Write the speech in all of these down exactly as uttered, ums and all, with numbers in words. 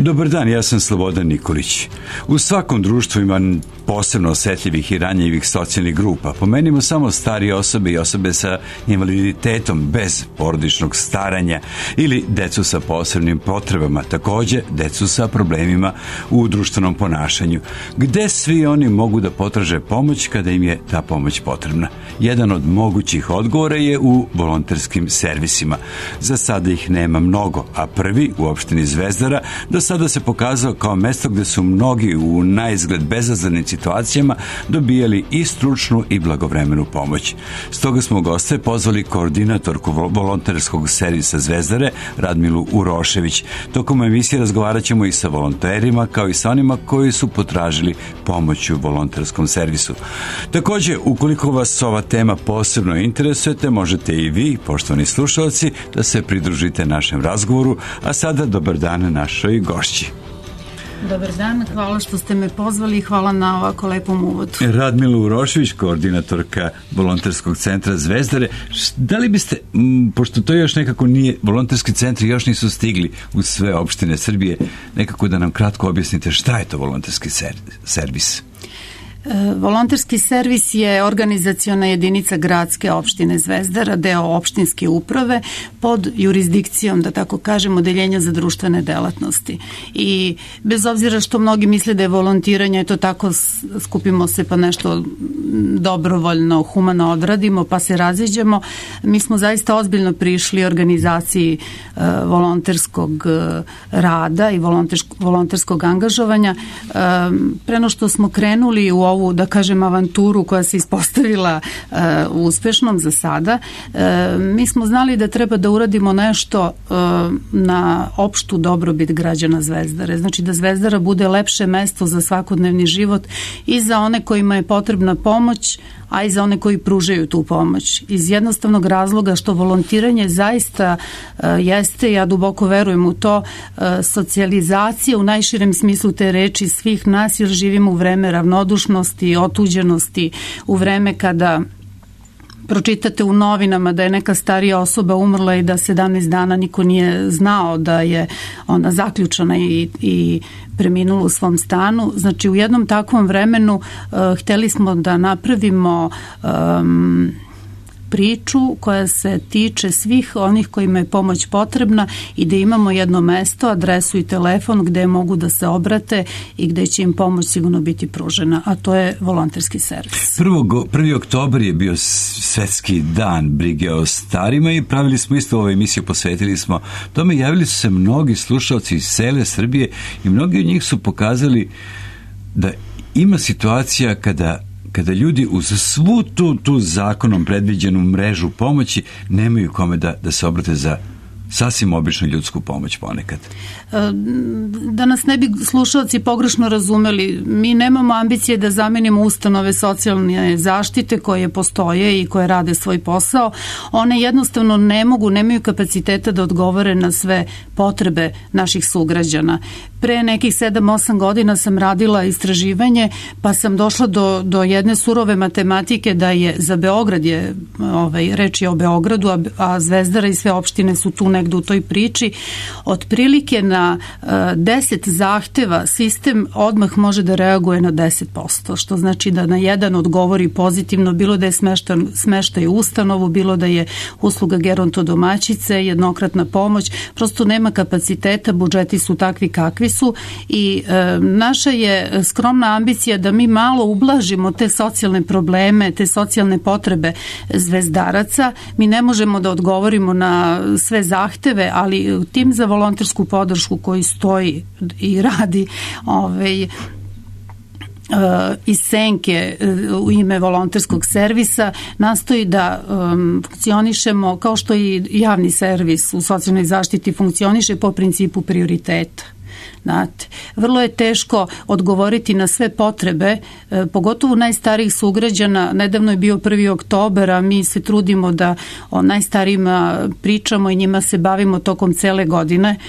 Dobar dan, ja sam Slobodan Nikolić. U svakom društvu ima posebno osetljivih i ranjivih socijalnih grupa. Pomenimo samo starije osobe i osobe sa invaliditetom bez porodičnog staranja ili decu sa posebnim potrebama, takođe decu sa problemima u društvenom ponašanju. Gde svi oni mogu da potraže pomoć kada im je ta pomoć potrebna? Jedan od mogućih odgovora je u volonterskim servisima. Za sada ih nema mnogo, a prvi u opštini Zvezdara do sada se pokazao kao mesto gde su mnogi u naizgled bezazlenim situacijama dobijali i stručnu i blagovremenu pomoć. Stoga smo u goste pozvali koordinatorku volonterskog servisa Zvezdare, Radmilu Urošević. Tokom emisije razgovarat ćemo i sa volonterima, kao i sa onima koji su potražili pomoć u volonterskom servisu. Takođe, ukoliko vas ova tema posebno interesujete, možete i vi, poštovani slušalci, da se pridružite našem razgovoru, a sada dobar dan našoj gošći. Dobar dan, hvala što ste me pozvali i hvala na ovako lepom uvodu. Radmila Urošević, koordinatorka volonterskog centra Zvezdare. Da li biste, pošto to još nekako nije, volonterski centri još nisu stigli u sve opštine Srbije, nekako da nam kratko objasnite šta je to volonterski servis? Volonterski servis je organizaciona jedinica gradske opštine Zvezdara, deo opštinske uprave pod jurisdikcijom, da tako kažem, odeljenja za društvene delatnosti. I bez obzira što mnogi misle da je volontiranje, eto tako skupimo se pa nešto dobrovoljno, humano odradimo pa se raziđemo, mi smo zaista ozbiljno prišli organizaciji uh, volonterskog uh, rada i volonterskog angažovanja. Uh, preno što smo krenuli u ovu, da kažem, avanturu koja se ispostavila uh, uspešnom za sada, uh, mi smo znali da treba da uradimo nešto uh, na opštu dobrobit građana Zvezdare. Znači da Zvezdara bude lepše mesto za svakodnevni život i za one kojima je potrebna pomoć, a i za one koji pružaju tu pomoć. Iz jednostavnog razloga što volontiranje zaista uh, jeste, ja duboko verujem u to, uh, socijalizacija u najširem smislu te reči svih nas, jer živimo u vreme ravnodušnosti, otuđenosti, u vreme kada pročitate u novinama da je neka starija osoba umrla i da sedamnaest dana niko nije znao da je ona zaključana i, i preminula u svom stanu. Znači u jednom takvom vremenu uh, hteli smo da napravimo um, priču koja se tiče svih onih kojima je pomoć potrebna i da imamo jedno mesto, adresu i telefon gde mogu da se obrate i gde će im pomoć sigurno biti pružena, a to je volonterski servis. prvi oktobar je bio svetski dan brige o starima i pravili smo isto ovu emisiju, posvetili smo tome, javili su se mnogi slušalci iz cele Srbije i mnogi od njih su pokazali da ima situacija kada kada ljudi uz svu tu, tu zakonom predviđenu mrežu pomoći nemaju kome da, da se obrate za sasvim običnu ljudsku pomoć ponekad. Da nas ne bi slušalci pogrešno razumeli, mi nemamo ambicije da zamenimo ustanove socijalne zaštite koje postoje i koje rade svoj posao. One jednostavno ne mogu, nemaju kapaciteta da odgovore na sve potrebe naših sugrađana. Pre nekih sedam osam godina sam radila istraživanje, pa sam došla do, do jedne surove matematike da je za Beograd, je, ovaj, reč je o Beogradu, a, a Zvezdara i sve opštine su tu negde u toj priči, otprilike na uh, deset zahteva sistem odmah može da reaguje na deset posto, što znači da na jedan odgovori pozitivno, bilo da je smeštaj, smeštaj u ustanovu, bilo da je usluga gerontodomaćice, jednokratna pomoć, prosto nema kapaciteta, budžeti su takvi kakvi su i e, naša je skromna ambicija da mi malo ublažimo te socijalne probleme, te socijalne potrebe zvezdaraca. Mi ne možemo da odgovorimo na sve zahteve, ali tim za volontersku podršku koji stoji i radi ovaj, iz senke u ime volonterskog servisa nastoji da um, funkcionišemo kao što i javni servis u socijalnoj zaštiti funkcioniše po principu prioriteta. Znate, vrlo je teško odgovoriti na sve potrebe, e, pogotovo najstarijih sugrađana. Nedavno je bio prvi oktobar, a mi se trudimo da o najstarijima pričamo i njima se bavimo tokom cele godine.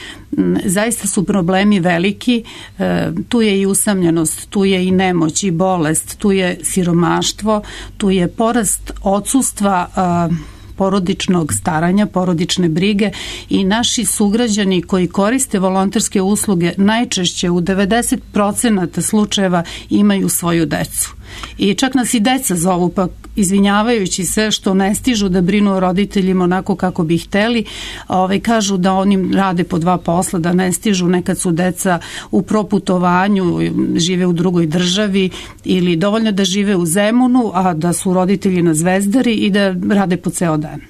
Zaista su problemi veliki, e, tu je i usamljenost, tu je i nemoć i bolest, tu je siromaštvo, tu je porast odsustva a, porodičnog staranja, porodične brige i naši sugrađani koji koriste volonterske usluge najčešće u devedeset procenata slučajeva imaju svoju decu. I čak nas i deca zovu, pa izvinjavajući se što ne stižu da brinu o roditeljima onako kako bi hteli, ovaj, kažu da oni rade po dva posla, da ne stižu, nekad su deca u proputovanju, žive u drugoj državi ili dovoljno da žive u Zemunu, a da su roditelji na Zvezdari i da rade po ceo dan.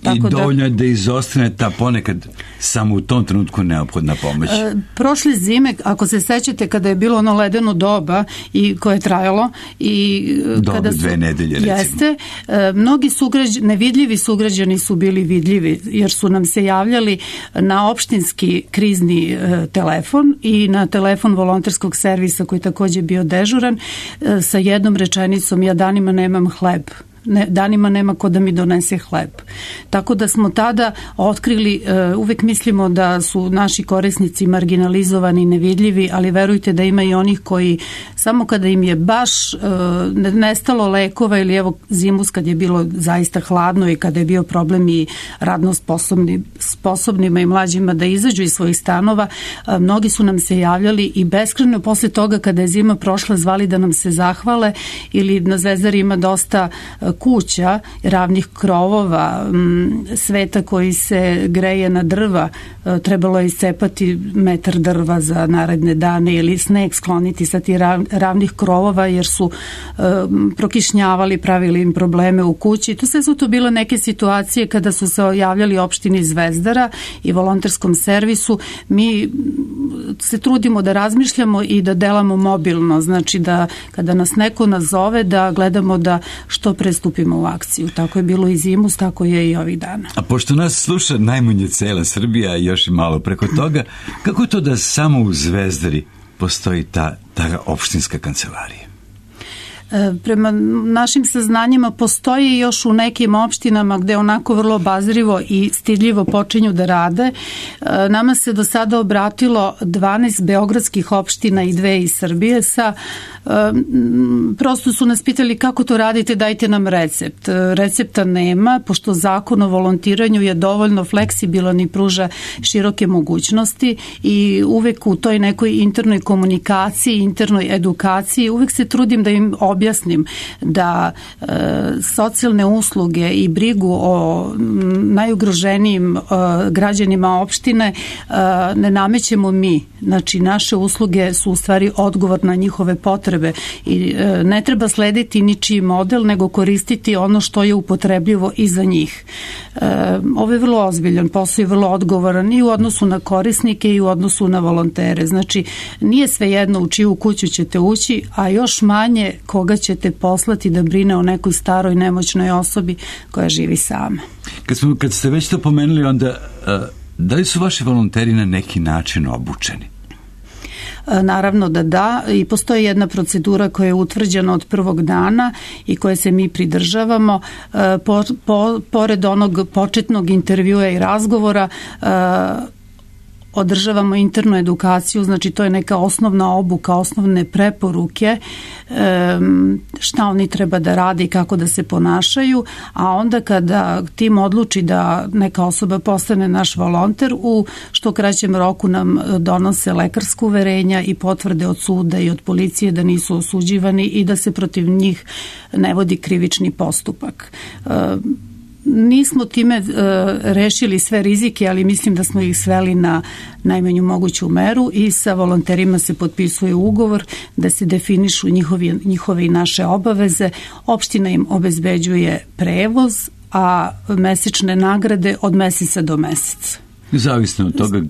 Tako I dovoljno je da, da izostane ta ponekad samo u tom trenutku neophodna pomoć. E, prošle zime, ako se sećate, kada je bilo ono ledeno doba i koje je trajalo i Dobre, kada su, dve nedelje recimo. Jeste, e, mnogi sugrađani, nevidljivi sugrađani su bili vidljivi jer su nam se javljali na opštinski krizni e, telefon i na telefon volonterskog servisa koji takođe bio dežuran e, sa jednom rečenicom: ja danima nemam hleb. Ne, danima nema ko da mi donese hleb. Tako da smo tada otkrili, uh, uvek mislimo da su naši korisnici marginalizovani, nevidljivi, ali verujte da ima i onih koji samo kada im je baš uh, nestalo lekova ili evo zimus kad je bilo zaista hladno i kada je bio problem i radno sposobni, sposobnima i mlađima da izađu iz svojih stanova, uh, mnogi su nam se javljali i beskrajno posle toga kada je zima prošla zvali da nam se zahvale, ili na Zvezdari ima dosta uh, kuća, ravnih krovova, sveta koji se greje na drva, trebalo je iscepati metar drva za naredne dane ili sneg skloniti sa tih ravnih krovova jer su prokišnjavali, pravili im probleme u kući. To sve su to bile neke situacije kada su se javljali opštini Zvezdara i volonterskom servisu. Mi se trudimo da razmišljamo i da delamo mobilno, znači da kada nas neko nazove da gledamo da što pre stupimo u akciju. Tako je bilo i zimus, tako je i ovih dana. A pošto nas sluša najmanje cela Srbija i još i malo preko toga, kako je to da samo u Zvezdari postoji ta, ta opštinska kancelarija? Prema našim saznanjima postoji još u nekim opštinama gde onako vrlo obazrivo i stidljivo počinju da rade. Nama se do sada obratilo dvanaest beogradskih opština i dve iz Srbije sa prosto su nas pitali kako to radite, dajte nam recept. Recepta nema, pošto zakon o volontiranju je dovoljno fleksibilan i pruža široke mogućnosti i uvek u toj nekoj internoj komunikaciji, internoj edukaciji, uvek se trudim da im objasnim da e, socijalne usluge i brigu o najugroženijim e, građanima opštine e, ne namećemo mi. Znači, naše usluge su u stvari odgovor na njihove potrebe i e, ne treba slediti ničiji model, nego koristiti ono što je upotrebljivo i za njih. E, ovo je vrlo ozbiljan posao i vrlo odgovoran i u odnosu na korisnike i u odnosu na volontere. Znači, nije svejedno u čiju kuću ćete ući, a još manje koga ćete poslati da brine o nekoj staroj nemoćnoj osobi koja živi sama. Kad, smo, kad ste već to pomenuli, onda da li su vaši volonteri na neki način obučeni? Naravno da da, i postoji jedna procedura koja je utvrđena od prvog dana i koje se mi pridržavamo. Po, po, pored onog početnog intervjua i razgovora održavamo internu edukaciju, znači to je neka osnovna obuka, osnovne preporuke šta oni treba da rade i kako da se ponašaju, a onda kada tim odluči da neka osoba postane naš volonter, u što kraćem roku nam donose lekarsko uverenja i potvrde od suda i od policije da nisu osuđivani i da se protiv njih ne vodi krivični postupak. Nismo time uh, rešili sve rizike, ali mislim da smo ih sveli na najmanju moguću meru i sa volonterima se potpisuje ugovor da se definišu njihovi, njihove i naše obaveze. Opština im obezbeđuje prevoz, a mesečne nagrade od meseca do meseca. Zavisno od toga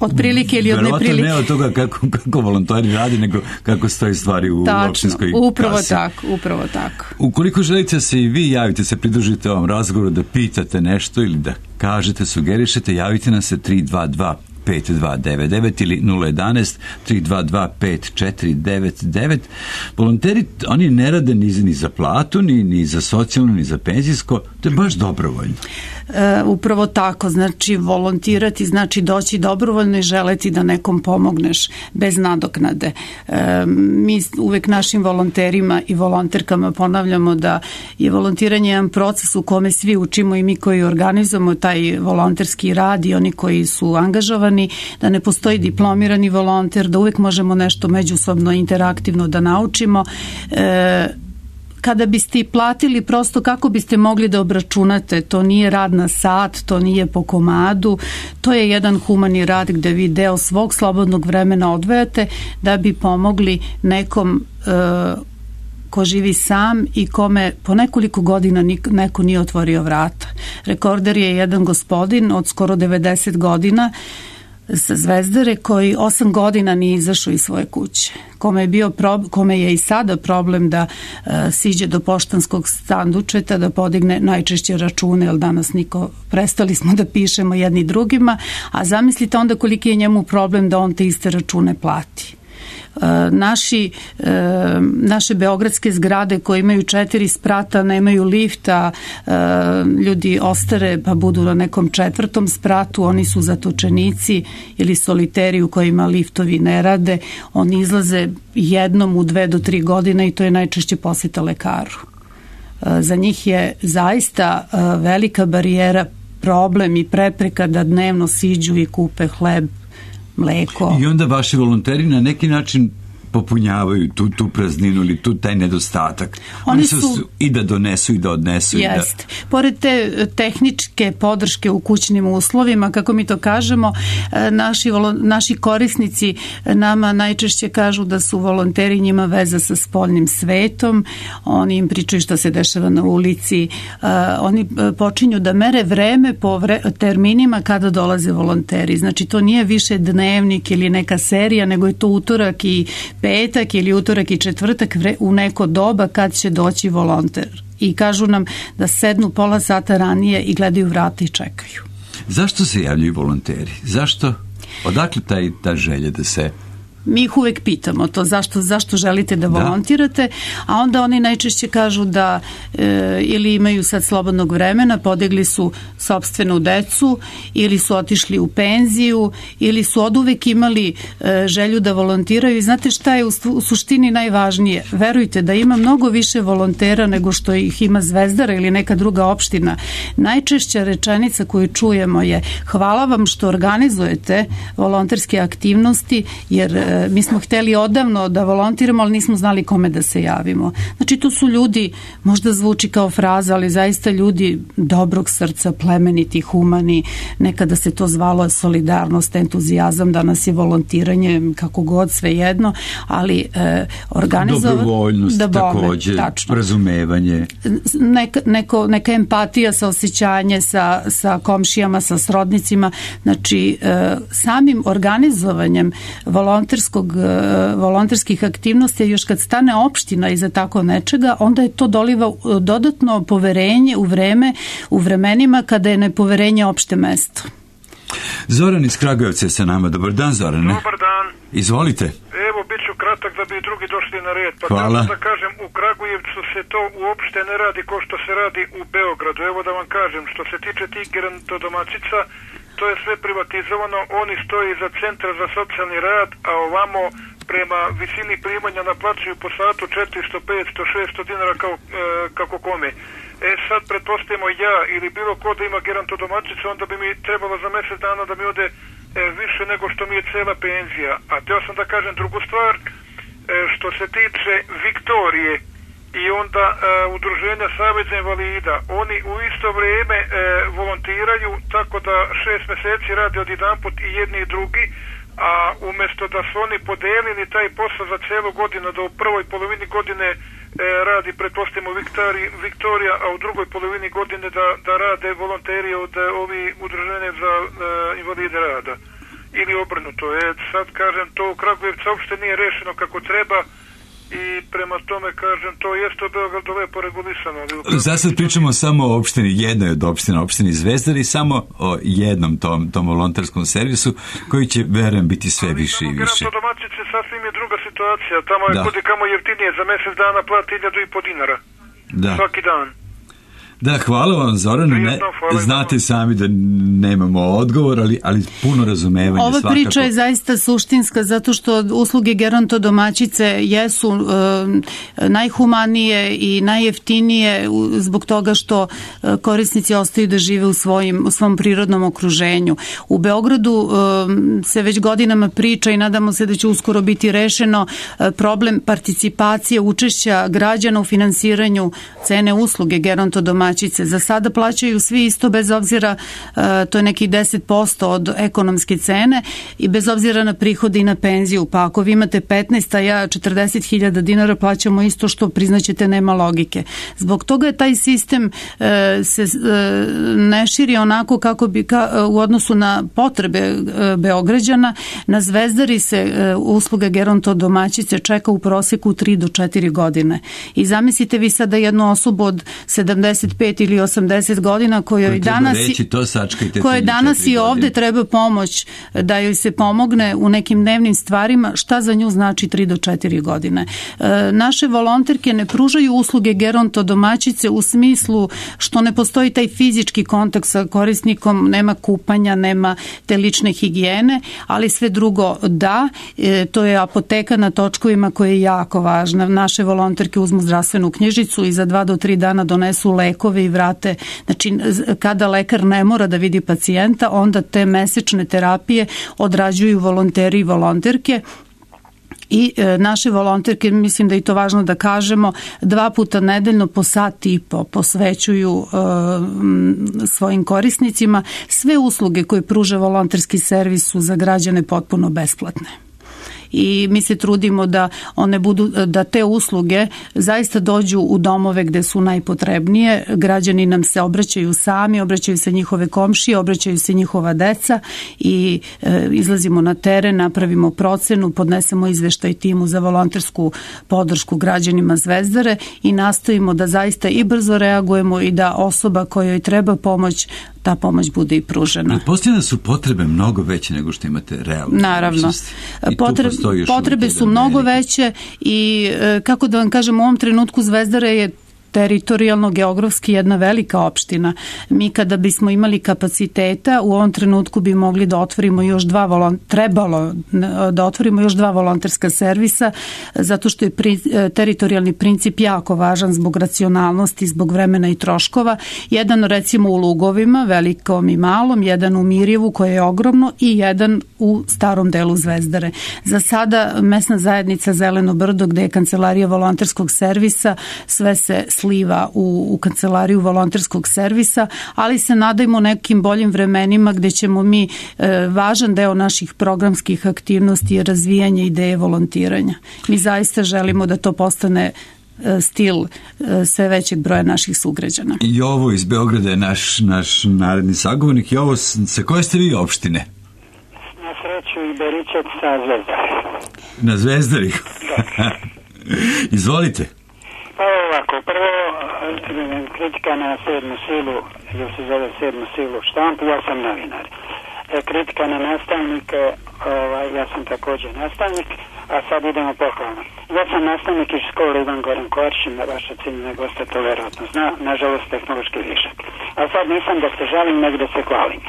otprilike ili od neprilike. Verovatno ne od toga kako, kako volontari radi, nego kako stoji stvari u Tačno, opštinskoj upravo kasi. tako, upravo tako. Ukoliko želite se i vi javite, se pridružite ovom razgovoru, da pitate nešto ili da kažete, sugerišete, javite nam se tri dva dva pet dva devet devet ili nula jedanaest tri dva dva pet četiri devet devet. Volonteri, oni ne rade ni, ni za platu, ni, ni za socijalno, ni za penzijsko, to je baš dobrovoljno. E, upravo tako, znači volontirati znači doći dobrovoljno i želeti da nekom pomogneš bez nadoknade. E, mi uvek našim volonterima i volonterkama ponavljamo da je volontiranje jedan proces u kome svi učimo, i mi koji organizujemo taj volonterski rad i oni koji su angažovani, da ne postoji diplomirani volonter, da uvek možemo nešto međusobno interaktivno da naučimo. E, Kada biste i platili, prosto kako biste mogli da obračunate, to nije rad na sat, to nije po komadu, to je jedan humani rad gde vi deo svog slobodnog vremena odvajate da bi pomogli nekom e, ko živi sam i kome po nekoliko godina neko nije otvorio vrata. Rekorder je jedan gospodin od skoro devedeset godina sa Zvezdare koji osam godina nije izašao iz svoje kuće, kome je, bio prob, kome je i sada problem da uh, siđe do poštanskog sandučeta, da podigne najčešće račune, jer danas niko, prestali smo da pišemo jedni drugima, a zamislite onda koliki je njemu problem da on te iste račune plati. Naši, naše beogradske zgrade koje imaju četiri sprata, nemaju lifta, ljudi ostare pa budu na nekom četvrtom spratu, oni su zatočenici ili soliteri u kojima liftovi ne rade, oni izlaze jednom u dve do tri godine i to je najčešće poseta lekaru. Za njih je zaista velika barijera, problem i prepreka da dnevno siđu i kupe hleb, mleko. I onda vaši volonteri na neki način popunjavaju tu, tu prazninu ili tu taj nedostatak. Oni, Oni su, su i da donesu i da odnesu. Jest. Da... Pored te tehničke podrške u kućnim uslovima, kako mi to kažemo, naši, naši korisnici nama najčešće kažu da su volonteri njima veza sa spoljnim svetom, oni im pričaju što se dešava na ulici, oni počinju da mere vreme po vre, terminima kada dolaze volonteri. Znači to nije više dnevnik ili neka serija, nego je to utorak i petak ili utorak i četvrtak u neko doba kad će doći volonter. I kažu nam da sednu pola sata ranije i gledaju vrata i čekaju. Zašto se javljaju volonteri? Zašto? Odakle taj, ta želja da se... Mi ih uvek pitamo to zašto, zašto želite da volontirate, da. A onda oni najčešće kažu da e, ili imaju sad slobodnog vremena, podigli su sopstvenu decu ili su otišli u penziju ili su oduvek imali e, želju da volontiraju i znate šta je u, u suštini najvažnije? Verujte da ima mnogo više volontera nego što ih ima Zvezdara ili neka druga opština. Najčešća rečenica koju čujemo je hvala vam što organizujete volonterske aktivnosti jer mi smo hteli odavno da volontiramo, ali nismo znali kome da se javimo. Znači, to su ljudi, možda zvuči kao fraza, ali zaista ljudi dobrog srca, plemeniti, humani, nekada se to zvalo solidarnost, entuzijazam, danas je volontiranje, kako god, svejedno, ali e, organizovati... Dobrovoljnost da takođe, tačno. Razumevanje. Neka, neko, neka empatija sa osjećanje, sa, sa komšijama, sa srodnicima, znači, e, samim organizovanjem volonterskog volonterskih aktivnosti, još kad stane opština iza tako nečega, onda je to doliva dodatno poverenje u vreme, u vremenima kada je nepoverenje opšte mesto. Zoran iz Kragujevca je sa nama. Dobar dan, Zorane. Dobar dan. Izvolite. Evo, bit ću kratak da bi drugi došli na red. Pa hvala. Da kažem, u Kragujevcu se to uopšte ne radi kao što se radi u Beogradu. Evo da vam kažem, što se tiče tih gerontodomaćica, to je sve privatizovano, oni stoji za centar za socijalni rad, a ovamo prema visini primanja naplaćuju po satu četiristo, petsto, šesto dinara kao, e, kako kome. E sad, pretpostavimo ja ili bilo ko da ima gerontodomaćicu, onda bi mi trebalo za mjesec dana da mi ode e, više nego što mi je cela penzija. A teo sam da kažem drugu stvar, e, što se tiče Viktorije i onda e, udruženja Saveza invalida, oni u isto vrijeme e, volontiraju, tako da šest mjeseci radi odjedanput i jedni i drugi, a umjesto da su oni podelili taj posao za celu godinu, da u prvoj polovini godine e, radi, pretpostavimo, Viktorija, a u drugoj polovini godine da, da rade volonteri od ovi udruženja za e, invalide rada. Ili obrnuto. E, sad kažem, to u Kragujevcu uopšte nije rešeno kako treba i prema tome, kažem, to jeste u Beogradu lepo regulisano. Za sad pričamo samo o opštini, jednoj od opština, opštini Zvezdar i samo o jednom tom, tom volonterskom servisu koji će, verujem, biti sve ali više i više. Gerontodomaćice sasvim je druga situacija. Tamo je kudi kamo jeftinije, za mesec dana plati hiljadu i po dinara. Da. Svaki dan. Da, hvala vam, Zorane. Ne, znate sami da nemamo odgovor, ali, ali puno razumevanja. Ova svakako. Priča je zaista suštinska zato što usluge gerontodomaćice jesu e, najhumanije i najjeftinije zbog toga što e, korisnici ostaju da žive u, svojim, u svom prirodnom okruženju. U Beogradu e, se već godinama priča i nadamo se da će uskoro biti rešeno e, problem participacije, učešća građana u finansiranju cene usluge gerontodomaćice. Za sada plaćaju svi isto bez obzira, to je nekih deset posto od ekonomske cene i bez obzira na prihode i na penziju. Pa ako vi imate petnaest, a ja četrdeset hiljada dinara plaćamo isto što priznaćete nema logike. Zbog toga je taj sistem se ne širi onako kako bi u odnosu na potrebe Beograđana. Na Zvezdari se usluga gerontodomaćice čeka u proseku tri do četiri godine. I zamislite vi sada jednu osobu od sedamdeset pet ili osamdeset godina kojoj danas, reći, to koje danas i ovde treba pomoć da joj se pomogne u nekim dnevnim stvarima, šta za nju znači tri do četiri godine. E, naše volonterke ne pružaju usluge gerontodomaćice u smislu što ne postoji taj fizički kontakt sa korisnikom, nema kupanja, nema te lične higijene, ali sve drugo da, e, to je apoteka na točkovima koja je jako važna. Naše volonterke uzmu zdravstvenu knjižicu i za dva do tri dana donesu lekove i vrate. Znači, kada lekar ne mora da vidi pacijenta, onda te mesečne terapije odrađuju volonteri i volonterke. I e, naše volonterke, mislim da je to važno da kažemo, dva puta nedeljno po sat i po posvećuju e, svojim korisnicima. Sve usluge koje pruža volonterski servis su za građane potpuno besplatne. I mi se trudimo da one budu, da te usluge zaista dođu u domove gde su najpotrebnije. Građani nam se obraćaju sami, obraćaju se njihove komšije, obraćaju se njihova deca i e, izlazimo na teren, napravimo procenu, podnesemo izveštaj timu za volontersku podršku građanima Zvezdare i nastojimo da zaista i brzo reagujemo i da osoba kojoj treba pomoć, ta pomoć bude i pružena. Pretpostavljam da su potrebe mnogo veće nego što imate realno. Naravno. Potrebe, potrebe su mnogo veće i kako da vam kažem, u ovom trenutku Zvezdara je teritorijalno, geografski jedna velika opština. Mi kada bismo imali kapaciteta, u ovom trenutku bi mogli da otvorimo još dva volon... trebalo da otvorimo još dva volonterska servisa, zato što je pri... teritorijalni princip jako važan zbog racionalnosti, zbog vremena i troškova. Jedan recimo u Lugovima, velikom i malom, jedan u Mirjevu koje je ogromno i jedan u starom delu Zvezdare. Za sada mesna zajednica Zeleno Brdo, gde je kancelarija volonterskog servisa, sve se sliva u, u kancelariju volonterskog servisa, ali se nadajmo nekim boljim vremenima gde ćemo mi e, važan deo naših programskih aktivnosti je razvijanje ideje volontiranja. Mi zaista želimo da to postane e, stil e, sve većeg broja naših sugrađana. I ovo iz Beograda je naš, naš naredni sagovornik. I ovo sa koje ste vi opštine? Na sreću i Beričak sa Zvezdari. Na Zvezdari? Izvolite. Pa ovako, prvo kritika na sedmu silu, jer se zove sedmu silu štampu, ja sam novinar. E, kritika na nastavnike, ovaj, ja sam također nastavnik, a sad idemo pohvalno. Ja sam nastavnik iz škole Ivan Goran Koršin, vaša ciljna gosta to verovatno zna, nažalost tehnološki višak. A sad nisam da se žalim, nego da se hvalim.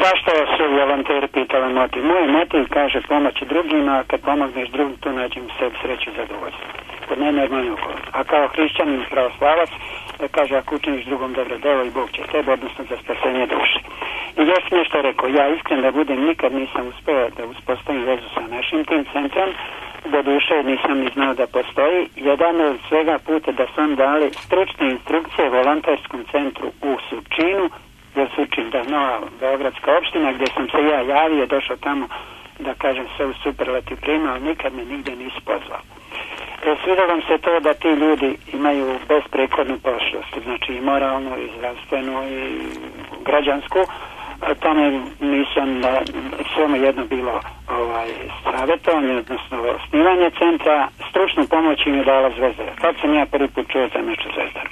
Zašto su volonteri pitali motiv? Moj motiv kaže pomoći drugima, a kad pomogneš drugim, tu nađem sebi sreću i zadovoljstvo. Kod mene je manje okolo. A kao hrišćanin pravoslavac, kaže ako učiniš drugom dobro delo i Bog će tebe, odnosno za spasenje duše. I još nešto rekao, ja iskren da budem, nikad nisam uspeo da uspostavim vezu sa našim tim centrom, do duše nisam ni znao da postoji. Jedan od svega puta da su on dali stručne instrukcije volonterskom centru u Surčinu, jer Surčin da nova beogradska opština, gdje sam se ja javio, došao tamo da kažem sve u superlativ prima, ali nikad me nigde nisu pozvao. E, svidjelo vam se to da ti ljudi imaju besprekornu prošlost, znači i moralnu, i zdravstvenu, i građansku, tamo nisam, samo jedno bilo ovaj, savjetovanje, odnosno osnivanje centra, stručnu pomoć im je dala Zvezdara. Kad sam ja prvi put čuo za nešto Zvezdara.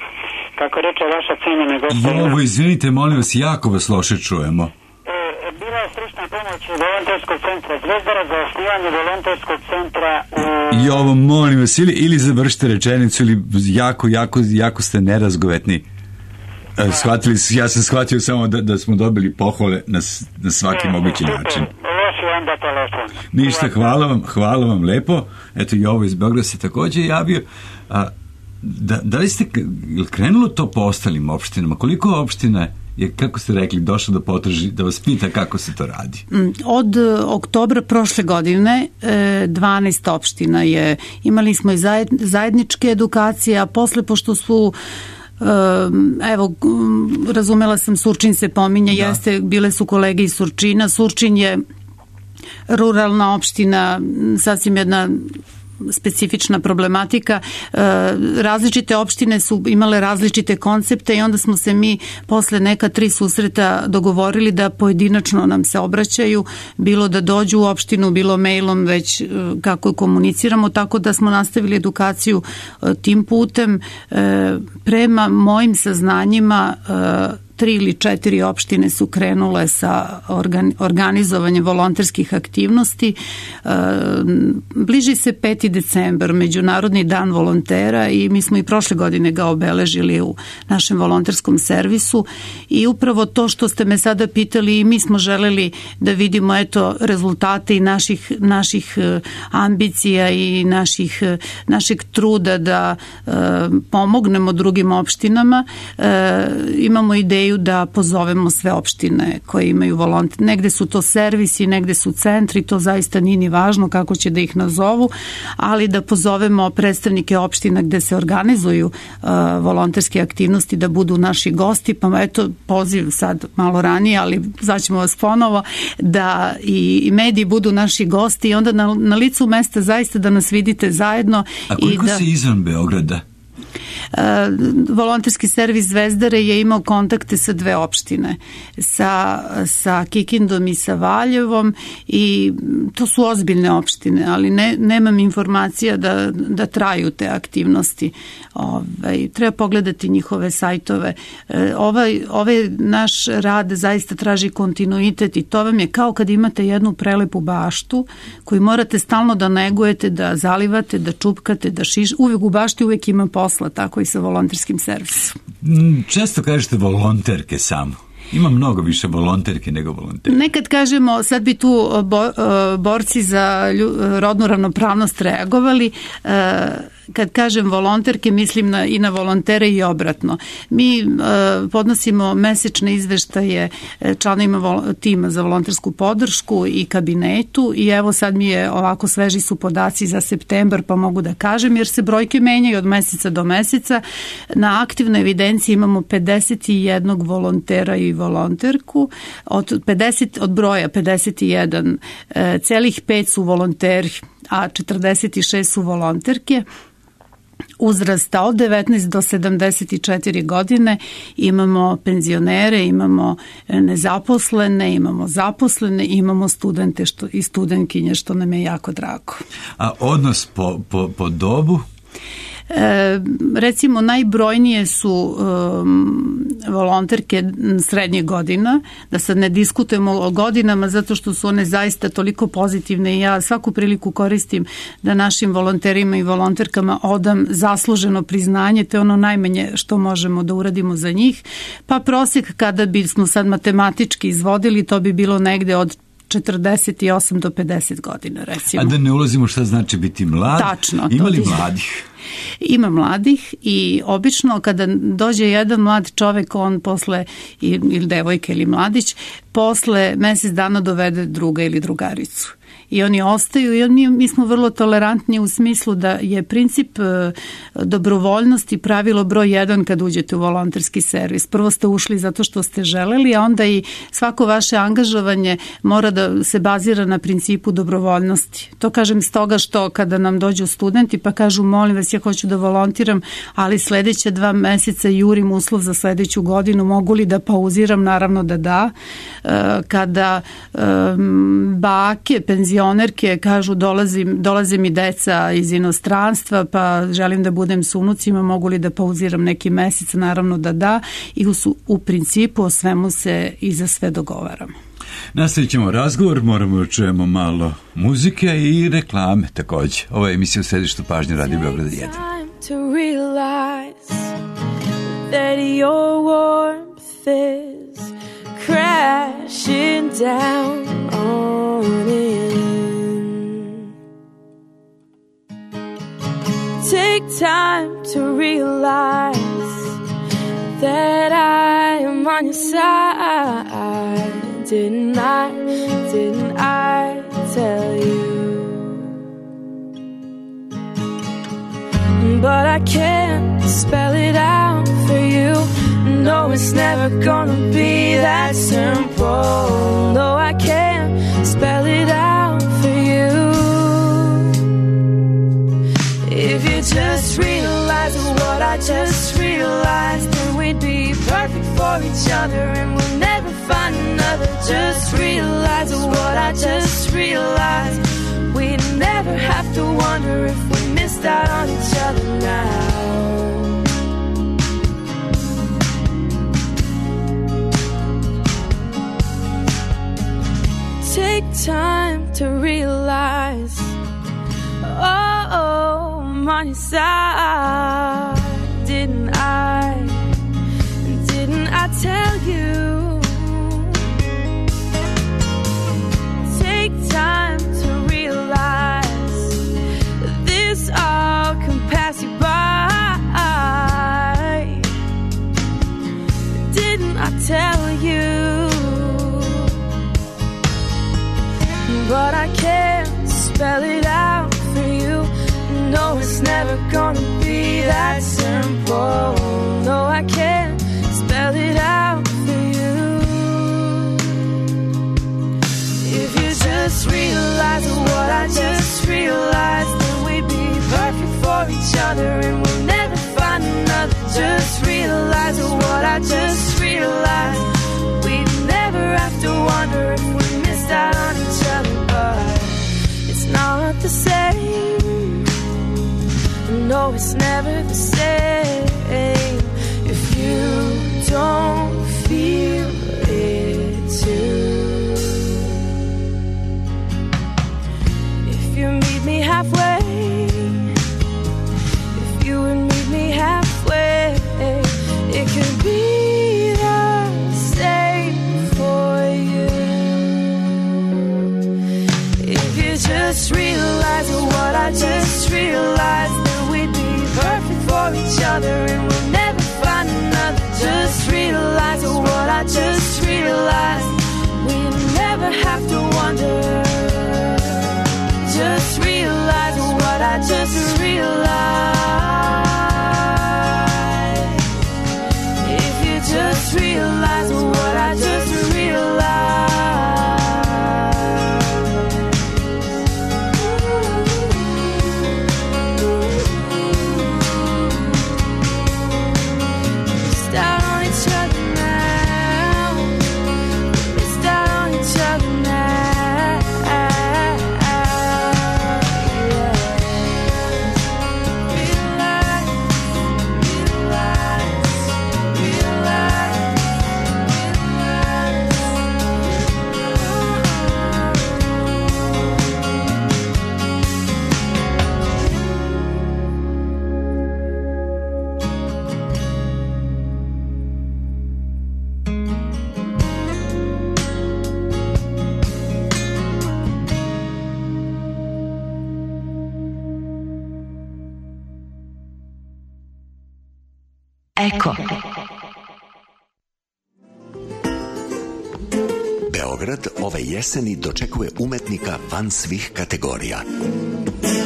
Kako reče vaša cenjena gospođa... Ovo, izvinite, molim vas, jako vas loše čujemo. E, bila je stručna pomoć volonterskog centra Zvezdara za osnivanje volonterskog centra u... I ovo, molim vas, ili, ili završite rečenicu, ili jako, jako, jako ste nerazgovetni. E, shvatili, ja sam shvatio samo da, da smo dobili pohvale na, na svaki e, mogući super način. Loši onda telefon. Ništa, hvala vam, hvala vam lepo. Eto, i ovo iz Beograda se takođe javio. A, da, da li ste krenulo to po ostalim opštinama? Koliko opština je, kako ste rekli, došlo da potraži, da vas pita kako se to radi? Od oktobra prošle godine dvanaest opština je, imali smo i zajedničke edukacije, a posle, pošto su evo, razumela sam, Surčin se pominje, da. Jeste, bile su kolege iz Surčina. Surčin je ruralna opština, sasvim jedna specifična problematika. Različite opštine su imale različite koncepte i onda smo se mi posle neka tri susreta dogovorili da pojedinačno nam se obraćaju, bilo da dođu u opštinu, bilo mailom, već kako komuniciramo, tako da smo nastavili edukaciju tim putem. Prema mojim saznanjima tri ili četiri opštine su krenule sa organizovanjem volonterskih aktivnosti. Bliži se peti decembar, Međunarodni dan volontera, i mi smo i prošle godine ga obeležili u našem volonterskom servisu, i upravo to što ste me sada pitali, i mi smo želeli da vidimo eto rezultate i naših, naših ambicija i naših, našeg truda da pomognemo drugim opštinama. Imamo ideju da pozovemo sve opštine koje imaju volonter. Negde su to servisi, negde su centri, to zaista nije ni važno kako će da ih nazovu, ali da pozovemo predstavnike opština gde se organizuju uh, volonterske aktivnosti da budu naši gosti, pa eto poziv sad malo ranije, ali zvaćemo vas ponovo, da i, i mediji budu naši gosti i onda na, na licu mesta zaista da nas vidite zajedno. A koliko i da... se izvan Beograda? Uh, volonterski servis Zvezdare je imao kontakte sa dve opštine, sa, sa Kikindom i sa Valjevom, i to su ozbiljne opštine, ali ne, nemam informacija da, da traju te aktivnosti. Ovaj, treba pogledati njihove sajtove. Uh, ovaj, ovaj naš rad zaista traži kontinuitet i to vam je kao kad imate jednu prelepu baštu koju morate stalno da negujete, da zalivate, da čupkate, da šiš. Uvijek u bašti uvijek ima posla, tako i sa volonterskim servisom. Često kažete volonterke samo. Ima mnogo više volonterke nego volonterke. Nekad kažemo, sad bi tu bo, borci za rodnu ravnopravnost reagovali, kad kažem volonterke, mislim na, i na volontere i obratno. Mi uh, podnosimo mesečne izveštaje članovima vol, tima za volontersku podršku i kabinetu, i evo sad mi je ovako sveži su podaci za septembar, pa mogu da kažem, jer se brojke menjaju od meseca do meseca. Na aktivnoj evidenciji imamo pedeset jedan volontera i volonterku. Od, pedeset, od broja pedeset jedan, uh, celih pet su volonteri, a četrdeset šest su volonterke. Uzrasta od devetnaest do sedamdeset četiri godine, imamo penzionere, imamo nezaposlene, imamo zaposlene, imamo studente što, i studentkinje, što nam je jako drago. A odnos po, po, po dobu? E, recimo najbrojnije su um, volonterke srednjih godina, da sad ne diskutujemo o godinama zato što su one zaista toliko pozitivne i ja svaku priliku koristim da našim volonterima i volonterkama odam zasluženo priznanje, to je ono najmanje što možemo da uradimo za njih, pa prosjek kada bismo sad matematički izvodili, to bi bilo negde od četrdeset osam do pedeset godina, recimo. A da ne ulazimo šta znači biti mlad? Tačno. Ima li mladih? Ima mladih, i obično kada dođe jedan mlad čovek, on posle, ili devojka ili mladić, posle mesec dana dovede druga ili drugaricu. I oni ostaju, i mi, mi smo vrlo tolerantni u smislu da je princip e, dobrovoljnosti pravilo broj jedan kad uđete u volonterski servis. Prvo ste ušli zato što ste želeli, a onda i svako vaše angažovanje mora da se bazira na principu dobrovoljnosti. To kažem stoga što kada nam dođu studenti pa kažu, molim vas, vas, ja hoću da volontiram, ali sledeća dva meseca jurim uslov za sledeću godinu, mogu li da pauziram? Naravno da da. Kada bake, penzionerke kažu dolazim, dolaze mi deca iz inostranstva, pa želim da budem s unucima, mogu li da pauziram neki mesec? Naravno da da. I u, u principu o svemu se i za sve dogovaramo. Nastavit ćemo razgovor, moramo da čujemo malo muzike i reklame takođe. Ovo je emisija u središtu pažnje Radio Beograd jedan. To realize that your warmth is crashing down on in. Take time to realize that I am on your side. Didn't I, didn't I tell you? But I can't spell it out for you. No, it's never gonna be that simple. No, I can't spell it out for you. If you just realize what I just realized, then we'd be perfect for each other and we'll never find another. Just realize what I just realized. We'd never have to wonder if we missed out on each other now. Take time to realize, oh, oh, I'm on your side. Didn't I, didn't I tell you? Take time to realize this all can pass you by. Didn't I tell you? But I can't spell it out for you. No, it's never gonna be that simple. No, I can't spell it out for you. If you just realize what I just realized, then we'd be perfect for each other and we'll never find another. Just realize what I just realized. We'd never have to wonder if we missed out on each other. But it's not the same. No, it's never the same if you don't feel it too. If you meet me halfway, if you would meet me halfway, it could be the same for you. If you just realize what I just realized, then we'd be perfect for each other and we'll never find another. Just realize what I just realized. We never have to wonder. Just realize what I just realized. If you just realize what I just realized. Eko. Beograd ove jeseni dočekuje umetnika van svih kategorija.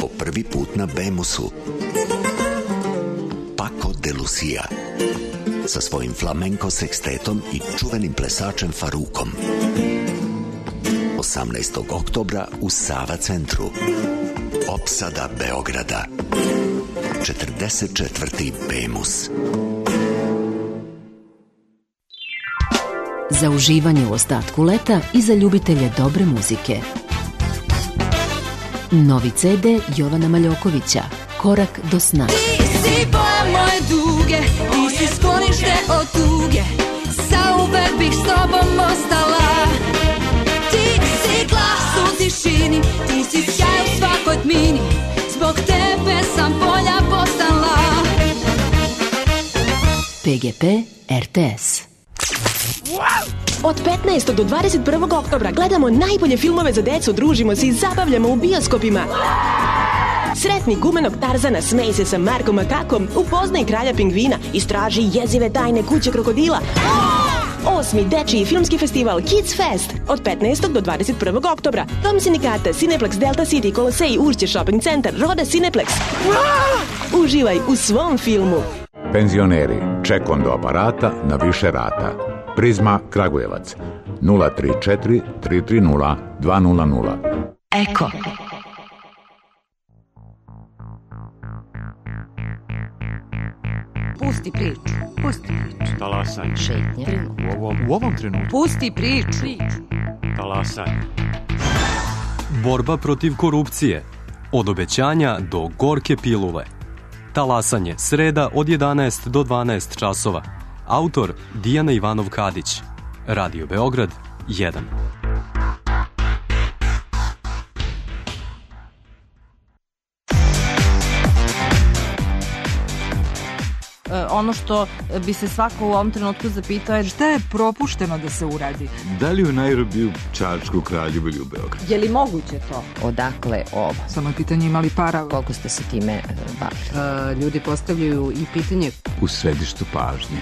Po prvi put na Bemusu. Paco de Lucia. Sa svojim flamenko sekstetom i čuvenim plesačem Farukom. osamnaestog oktobra u Sava centru. Opsada Beograda. četrdeset četvrti Bemus. Za uživanje u ostatku leta i za ljubitelje dobre muzike. Novi ce de Jovana Maljokovića, Korak do sna. Ti si boja moje duge, ti si sklonište od tuge, zauvek bih s tobom ostala. Ti si glas u tišini, ti si sjaj u svakoj tmini, zbog tebe sam bolja postala. pe ge pe er te es. Od petnaestog do dvadeset prvog oktobra gledamo najbolje filmove za decu, družimo se i zabavljamo u bioskopima. Sretni gumenog Tarzana, smej se sa Markom Makakom, upoznaj kralja pingvina, istraži jezive tajne kuće krokodila. Osmi dečiji filmski festival Kids Fest od petnaestog do dvadeset prvog oktobra. Dom sindikata, Cineplex Delta City, Kolosej, Uršće Shopping Centar, Roda Cineplex. Uživaj u svom filmu. Penzioneri, ček do aparata na više rata. Prizma Kragujevac nula tri četiri tri tri nula dva nula nula. Eko. Pusti priču. Pusti priču. Talasanje. Šetnje. U ovom, u ovom trenutku. Pusti priču. Talasanje. Borba protiv korupcije. Od obećanja do gorke pilule. Talasanje, sreda od jedanaest do dvanaest časova. Autor Dijana Ivanov-Kadić. Radio Beograd jedan. Ono što bi se svako u ovom trenutku zapitao je šta je propušteno da se uradi. Da li u Nairobiju, Čačku, Kraljevu ili u Beogradu? Je li moguće to? Odakle ovo? Samo je pitanje imali para. Koliko ste se time bavili? Uh, ljudi postavljaju i pitanje. U središtu pažnje.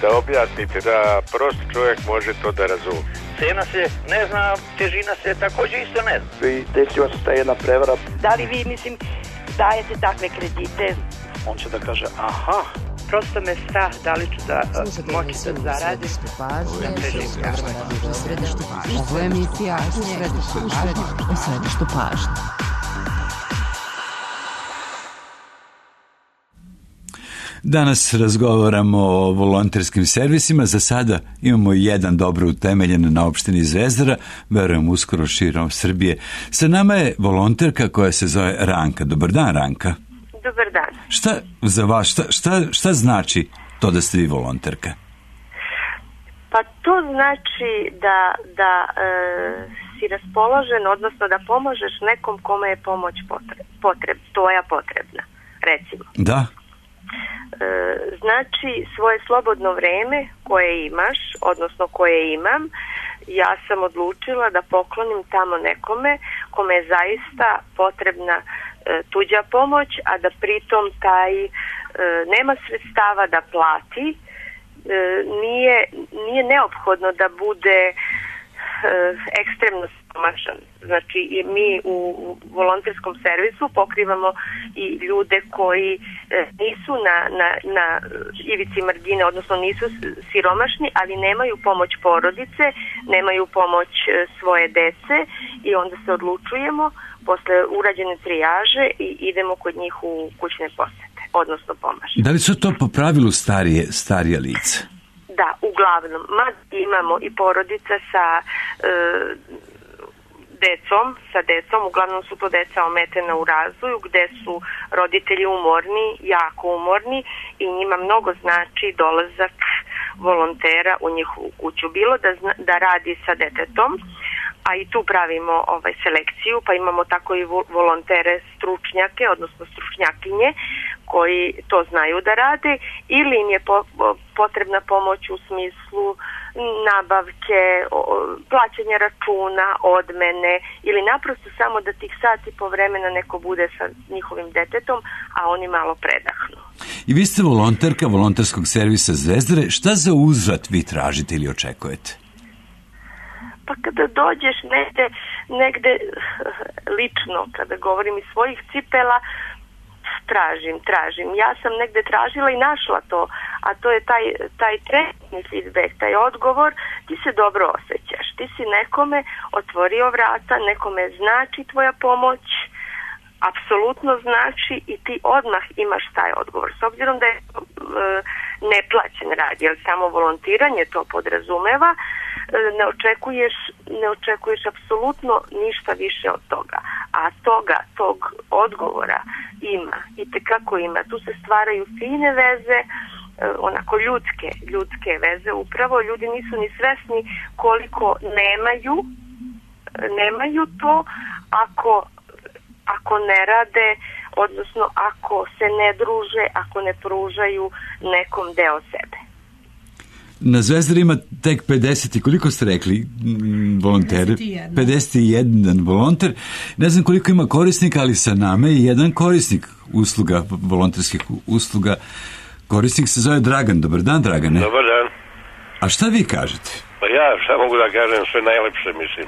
Da objasnite da prost čovjek može to da razumije. Cena se ne zna, težina se također isto ne zna. I desila se ta jedna prevara. Da li vi, mislim, dajete takve kredite? On će da kaže, aha, prosto me strah da li ću da moći da zaradim. Ovo je emisija u središtu pažnje. Danas razgovaramo o volonterskim servisima. Za sada imamo jedan dobro utemeljen na opštini Zvezdara, verujem uskoro širom Srbije. Sa nama je volonterka koja se zove Ranka. Dobar dan, Ranka. Dobar dan. Šta za vas, šta, šta, šta znači to da ste vi volonterka? Pa to znači da, da e, si raspoložen, odnosno da pomožeš nekom kome je pomoć potreb, potreb, tvoja potrebna, recimo. Da. Znači svoje slobodno vreme koje imaš, odnosno koje imam, ja sam odlučila da poklonim tamo nekome kome je zaista potrebna e, tuđa pomoć, a da pritom taj e, nema sredstava da plati, e, nije, nije neophodno da bude e, ekstremno siromašan. Znači mi u volonterskom servisu pokrivamo i ljude koji nisu na, na, na ivici margine, odnosno nisu siromašni, ali nemaju pomoć porodice, nemaju pomoć svoje dece i onda se odlučujemo posle urađene trijaže i idemo kod njih u kućne posete, odnosno pomažemo. Da li su to po pravilu starije, starija lica? Da, uglavnom. Mad imamo i porodica sa e, decom, sa decom, uglavnom su to deca ometena u razvoju, gde su roditelji umorni, jako umorni i njima mnogo znači dolazak volontera u njihovu kuću. Bilo da, zna, da radi sa detetom, a i tu pravimo ovaj, selekciju, pa imamo tako i volontere stručnjake, odnosno stručnjakinje, koji to znaju da rade, ili im je po, potrebna pomoć u smislu nabavke, plaćanja računa, odmene, ili naprosto samo da tih sati po vremena neko bude sa njihovim detetom, a oni malo predahnu. I vi ste volonterka volonterskog servisa Zvezdare. Šta za uzvrat vi tražite ili očekujete? Pa kada dođeš negde, negde lično, kada govorim iz svojih cipela, tražim, tražim. Ja sam negde tražila i našla to, a to je taj, taj trenutni feedback, taj odgovor, ti se dobro osjećaš, ti si nekome otvorio vrata, nekome znači tvoja pomoć, apsolutno znači i ti odmah imaš taj odgovor. S obzirom da je e, neplaćen rad, jer samo volontiranje to podrazumeva, e, ne očekuješ, ne očekuješ apsolutno ništa više od toga. A toga, tog odgovora ima, i tekako ima. Tu se stvaraju fine veze, e, onako ljudske, ljudske veze. Upravo ljudi nisu ni svesni koliko nemaju, nemaju to ako ako ne rade, odnosno ako se ne druže, ako ne pružaju nekom deo sebe. Na Zvezdari ima tek pedeset i koliko ste rekli volonteri? pedeset i jedan volonter. Ne znam koliko ima korisnika, ali sa nama je jedan korisnik usluga, volonterskih usluga. Korisnik se zove Dragan. Dobar dan, Dragane. Dobar dan. A šta vi kažete? Pa ja šta mogu da kažem, sve najlepše, mislim.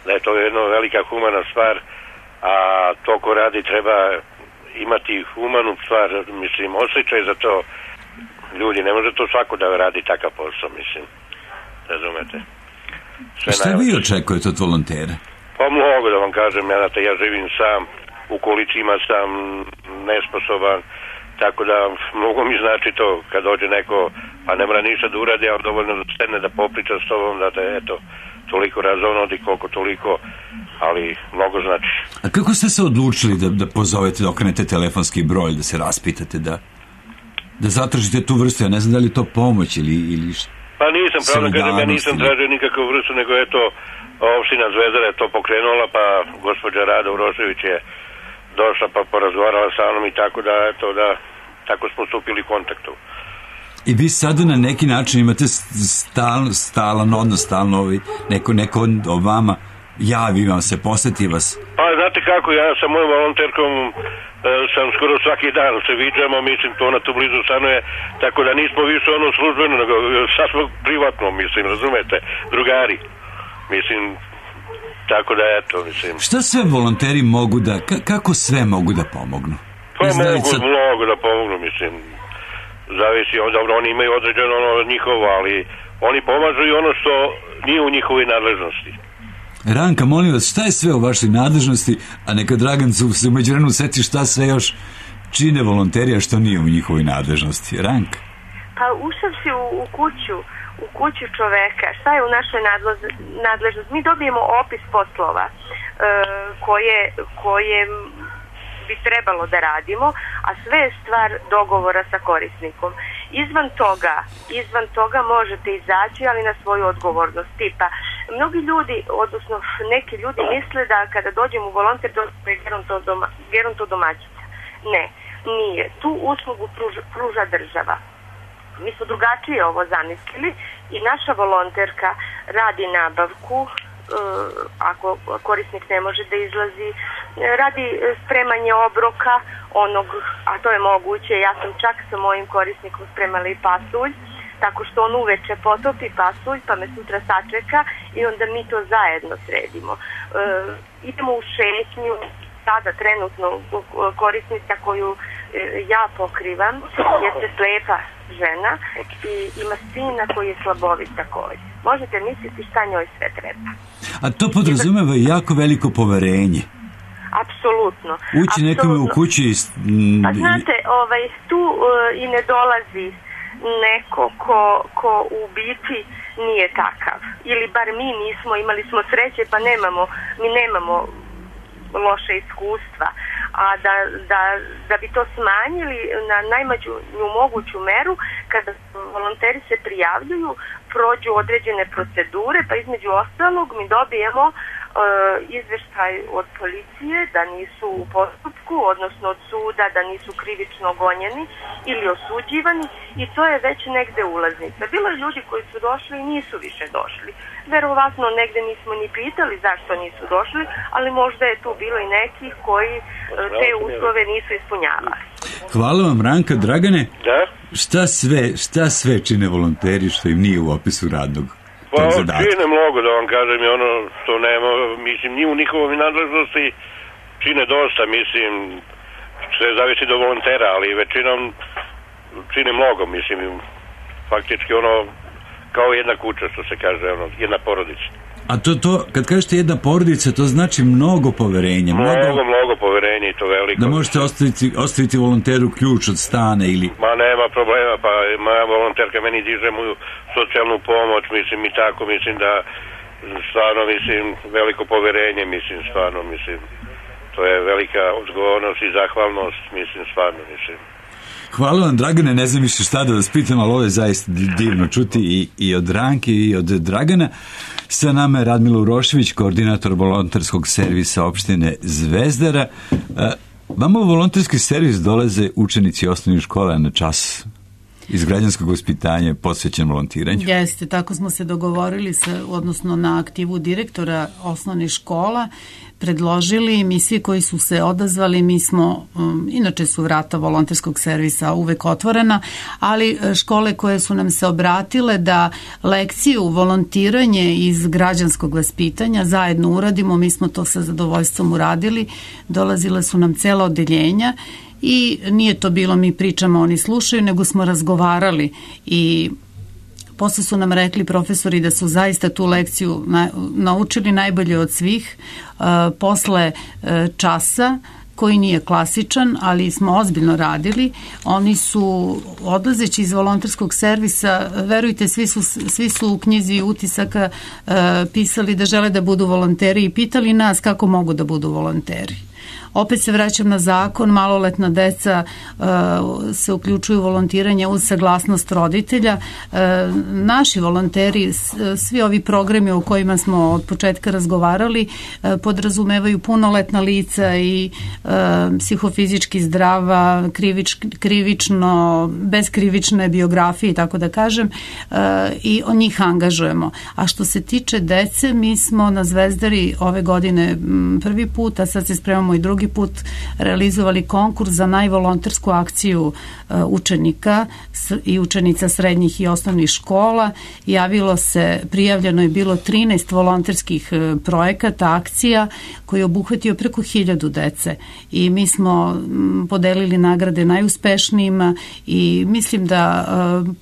Da je to jedna velika humana stvar, a to ko radi treba imati humanu stvar, mislim, osjećaj za to. Ljudi, ne može to svako da radi takav posao, mislim. Razumete? Sve šta najlepše. Vi očekujete od volontera? Pa mnogo da vam kažem, ja, ja živim sam, u kolicima sam nesposoban, tako da mnogo mi znači to kad dođe neko, pa ne mora ništa da uradi, ali dovoljno da stene da popriča s tobom, da te, eto, toliko razonodi, koliko toliko, ali mnogo znači. A kako ste se odlučili da, da pozovete, da okrenete telefonski broj, da se raspitate, da, da zatražite tu vrstu? Ja ne znam da li je to pomoć ili, ili šta? Pa nisam, pravno kažem, ja nisam tražio nikakvu vrstu, nego eto, opština Zvezdara je to pokrenula, pa gospođa Rada Urošević je došla pa porazgovarala sa mnom i tako da, eto, da, tako smo stupili u kontaktu. I vi sada na neki način imate stal, stalan odnos, stalno ovi, neko, neko o vama javi vam se, posjeti vas. Pa znate kako, ja sa mojom volonterkom e, sam skoro svaki dan se viđamo, mislim, to ona tu blizu stanuje, tako da nismo više ono službeno, nego sad smo privatno, mislim, razumete, drugari, mislim, tako da eto, mislim. Šta sve volonteri mogu da, kako sve mogu da pomognu? Pa mogu sad... mnogo da pomognu, mislim, zavisi, dobro, oni imaju određeno ono njihovo, ali oni pomažu i ono što nije u njihovoj nadležnosti. Ranka, molim vas, šta je sve u vašoj nadležnosti, a neka Dragan se umeđu vremenu seti šta sve još čine volonteri, a što nije u njihovoj nadležnosti? Ranka? Pa ušavši u, u kuću, u kuću čoveka, šta je u našoj nadležnosti? Mi dobijemo opis poslova e, koje, koje bi trebalo da radimo, a sve je stvar dogovora sa korisnikom. Izvan toga, izvan toga možete izaći, ali na svoju odgovornost. Tipa, mnogi ljudi, odnosno neki ljudi misle da kada dođem u volonter dođem doma, gerontodomaćica. Ne, nije. Tu uslugu pruža, pruža država. Mi smo drugačije ovo zamislili i naša volonterka radi nabavku, ako korisnik ne može da izlazi, radi spremanje obroka onog, a to je moguće. Ja sam čak sa mojim korisnikom spremala i pasulj, tako što on uveče potopi pasulj pa me sutra sačeka i onda mi to zajedno sredimo. E, idemo u šetnju, sada trenutno korisnica koju e, ja pokrivam jeste slepa žena i ima sina koji je slabovit također. Možete misliti šta njoj sve treba. A to podrazumeva jako veliko poverenje. Apsolutno. Ući nekome u kući... Mm, pa znate, ovaj, tu uh, i ne dolazi neko ko, ko u biti nije takav. Ili bar mi nismo, imali smo sreće pa nemamo, mi nemamo loše iskustva. A da, da, da bi to smanjili na najmanju moguću meru, kada volonteri se prijavljuju, prođu određene procedure, pa između ostalog mi dobijemo e, izveštaj od policije da nisu u postupku, odnosno od suda da nisu krivično gonjeni ili osuđivani, i to je već negde ulaznica. Bilo je ljudi koji su došli i nisu više došli. Verovatno negde nismo ni pitali zašto nisu došli, ali možda je tu bilo i nekih koji e, te uslove nisu ispunjavali. Hvala vam, Ranka. Dragane, da? šta sve, šta sve čine volonteri što im nije u opisu radnog pa, čine mnogo, da vam kažem, je ono što nema, mislim, nije u njihovoj nadležnosti, čine dosta, mislim, sve zavisi do volontera, ali većinom čine mnogo, mislim, faktički ono, kao jedna kuća, što se kaže, ono, jedna porodica. A to, to, kad kažete jedna porodica, to znači mnogo poverenja. Mnogo, mnogo, mnogo poverenja i to veliko. Da možete ostaviti, ostaviti volonteru ključ od stana ili... Ma nema problema, pa moja volonterka meni diže moju socijalnu pomoć, mislim i tako, mislim da stvarno, mislim, veliko poverenje, mislim, stvarno, mislim, to je velika odgovornost i zahvalnost, mislim, stvarno, mislim. Hvala vam, Dragane, ne znam više šta da vas pitam, ali ovo je zaista divno čuti i, i od Ranke i od Dragana. Sa nama je Radmila Urošević, koordinator volonterskog servisa opštine Zvezdara. Vama u volonterski servis dolaze učenici osnovnih škola na čas iz građanskog vaspitanja posvećen volontiranju. Jeste, tako smo se dogovorili sa, odnosno na aktivu direktora osnovnih škola, predložili, mi svi koji su se odazvali, mi smo, um, inače su vrata volonterskog servisa uvek otvorena, ali škole koje su nam se obratile da lekciju volontiranje iz građanskog vaspitanja zajedno uradimo, mi smo to sa zadovoljstvom uradili, dolazile su nam cela odeljenja i nije to bilo mi pričamo, oni slušaju, nego smo razgovarali i posle su nam rekli profesori da su zaista tu lekciju na, naučili najbolje od svih. E, posle e, časa koji nije klasičan, ali smo ozbiljno radili. Oni su, odlazeći iz volonterskog servisa, verujte, svi su, svi su u knjizi utisaka e, pisali da žele da budu volonteri i pitali nas kako mogu da budu volonteri. Opet se vraćam na zakon, maloletna deca uh, se uključuju u volontiranje uz saglasnost roditelja. Uh, naši volonteri, svi ovi programi o kojima smo od početka razgovarali, uh, podrazumevaju punoletna lica i uh, psihofizički zdrava, krivič, krivično, beskrivične biografije, tako da kažem, uh, i o njih angažujemo. A što se tiče dece, mi smo na Zvezdari ove godine prvi put, a sad se spremamo i drugi put realizovali konkurs za najvolontersku akciju učenika i učenica srednjih i osnovnih škola. Javilo se, prijavljeno je bilo trinaest volonterskih projekata, akcija koji je obuhvatio preko hiljadu dece i mi smo podelili nagrade najuspešnijima i mislim da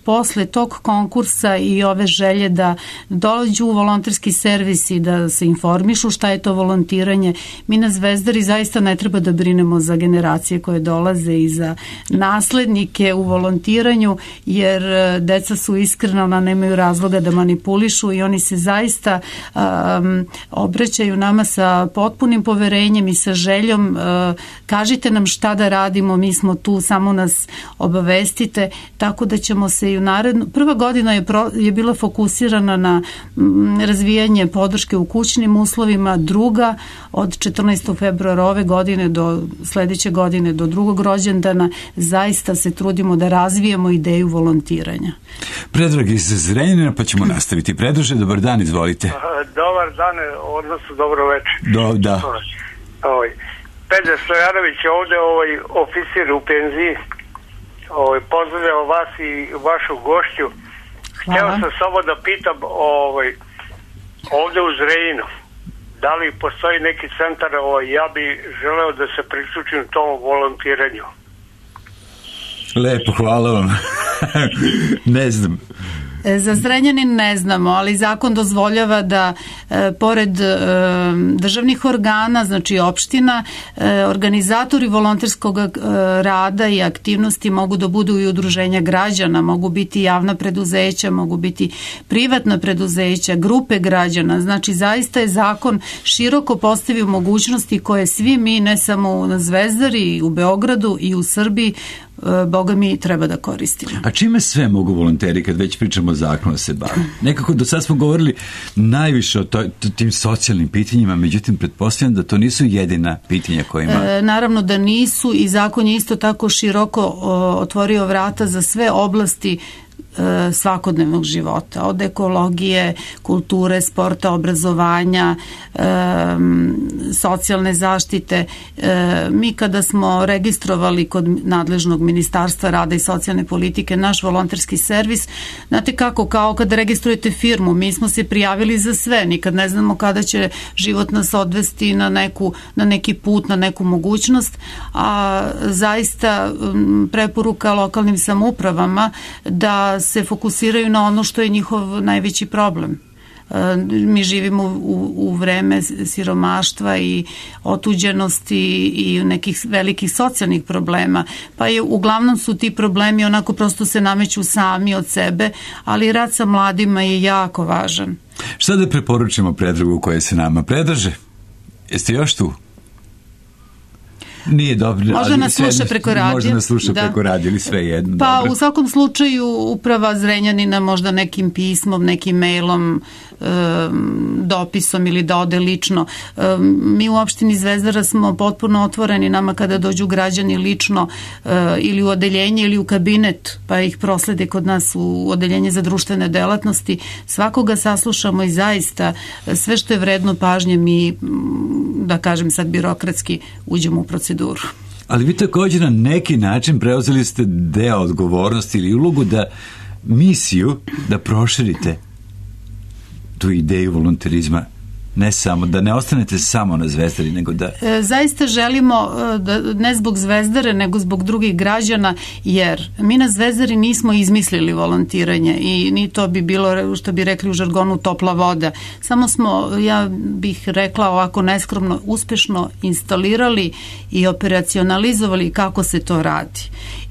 posle tog konkursa i ove želje da dođu u volonterski servis i da se informišu šta je to volontiranje, mi na Zvezdari zaista ne treba da brinemo za generacije koje dolaze i za naslednike u volontiranju, jer deca su iskrena, ona nemaju razloga da manipulišu i oni se zaista um, obraćaju nama sa potpunim poverenjem i sa željom, uh, kažite nam šta da radimo, mi smo tu, samo nas obavestite, tako da ćemo se i u narednu, prva godina je, pro, je bila fokusirana na m, razvijanje podrške u kućnim uslovima, druga od četrnaestog februara ove godine do sledeće godine, do drugog rođendana, zaista se trudimo da razvijemo ideju volontiranja. Predrag iz Zrenjanina, pa ćemo nastaviti. Predraže, dobar dan, izvolite. Dobar dan, odnosno dobro večer. Do, da. Ovaj, Pedro Stojanović je ovde ovaj, oficir u penziji. Ovaj, pozdravljam vas i vašu gošću. Hvala. Hteo sam samo da pitam ovaj, ovde u Zrenjaninu, da li postoji neki centar, ovaj, ja bi želeo da se priključim tom volontiranju. Lepo, hvala vam. Ne znam. Za Zrenjanin ne znamo, ali zakon dozvoljava da e, pored e, državnih organa, znači opština, e, organizatori volonterskog e, rada i aktivnosti mogu da budu i udruženja građana, mogu biti javna preduzeća, mogu biti privatna preduzeća, grupe građana, znači zaista je zakon široko postavio mogućnosti koje svi mi, ne samo na Zvezdari, u Beogradu i u Srbiji, Boga mi treba da koristimo. A čime sve mogu volonteri, kad već pričamo o zakonu, se bave? Nekako do sad smo govorili najviše o to, tim socijalnim pitanjima, međutim pretpostavljam da to nisu jedina pitanja koje ima. E, naravno da nisu i zakon je isto tako široko o, otvorio vrata za sve oblasti svakodnevnog života, od ekologije, kulture, sporta, obrazovanja, e, socijalne zaštite. E, mi kada smo registrovali kod nadležnog Ministarstva rada i socijalne politike naš volonterski servis, znate kako, kao kad registrujete firmu, mi smo se prijavili za sve, nikad ne znamo kada će život nas odvesti na, neku, na neki put, na neku mogućnost, a zaista preporuka lokalnim samoupravama da se fokusiraju na ono što je njihov najveći problem. Mi živimo u, u vreme siromaštva i otuđenosti i nekih velikih socijalnih problema, pa je uglavnom su ti problemi onako prosto se nameću sami od sebe, ali rad sa mladima je jako važan. Šta da preporučimo Predragu koje se nama predrže? Jeste još tu? Nije dobro. Može nas sluša preko radija. Može nas sluša da. preko radija ili sve jedno. Pa dobro. U svakom slučaju uprava Zrenjanina možda nekim pismom, nekim mailom, dopisom ili da ode lično. Mi u opštini Zvezdara smo potpuno otvoreni nama kada dođu građani lično ili u odeljenje ili u kabinet pa ih proslede kod nas u odeljenje za društvene delatnosti. Svakoga saslušamo i zaista sve što je vredno pažnje mi, da kažem sad birokratski, uđemo u proceduru. Ali vi također na neki način preuzeli ste deo odgovornosti ili ulogu da misiju da proširite tu ideju volonterizma, ne samo, da ne ostanete samo na Zvezdari, nego da... E, zaista želimo, da, ne zbog Zvezdare, nego zbog drugih građana, jer mi na Zvezdari nismo izmislili volontiranje i ni to bi bilo, što bi rekli u žargonu, topla voda. Samo smo, ja bih rekla ovako neskromno, uspešno instalirali i operacionalizovali kako se to radi.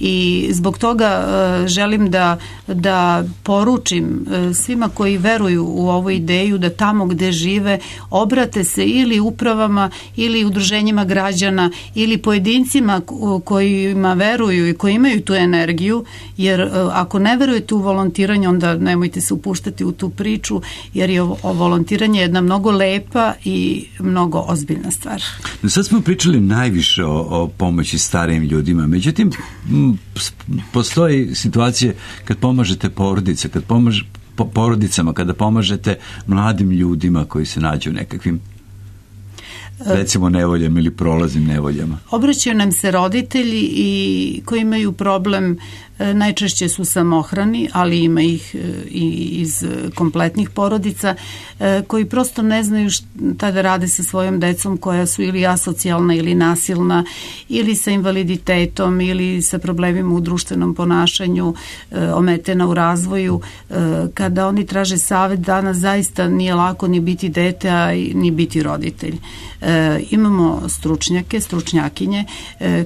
I zbog toga e, želim da, da poručim e, svima koji veruju u ovu ideju da tamo gde žive obrate se ili upravama ili udruženjima građana ili pojedincima kojima veruju i koji imaju tu energiju, jer ako ne verujete u volontiranje onda nemojte se upuštati u tu priču, jer je o volontiranje jedna mnogo lepa i mnogo ozbiljna stvar. Sad smo pričali najviše o, o pomoći starijim ljudima, međutim m, postoji situacije kad pomažete porodice, kad pomažete porodicama, kada pomažete mladim ljudima koji se nađu u nekakvim recimo nevoljama ili prolaznim nevoljama. Obraćaju nam se roditelji i koji imaju problem, najčešće su samohrani, ali ima ih i iz kompletnih porodica, koji prosto ne znaju šta da rade sa svojom decom koja su ili asocijalna ili nasilna ili sa invaliditetom ili sa problemima u društvenom ponašanju, ometena u razvoju. Kada oni traže savet, danas zaista nije lako ni biti dete, a ni biti roditelj. Imamo stručnjake, stručnjakinje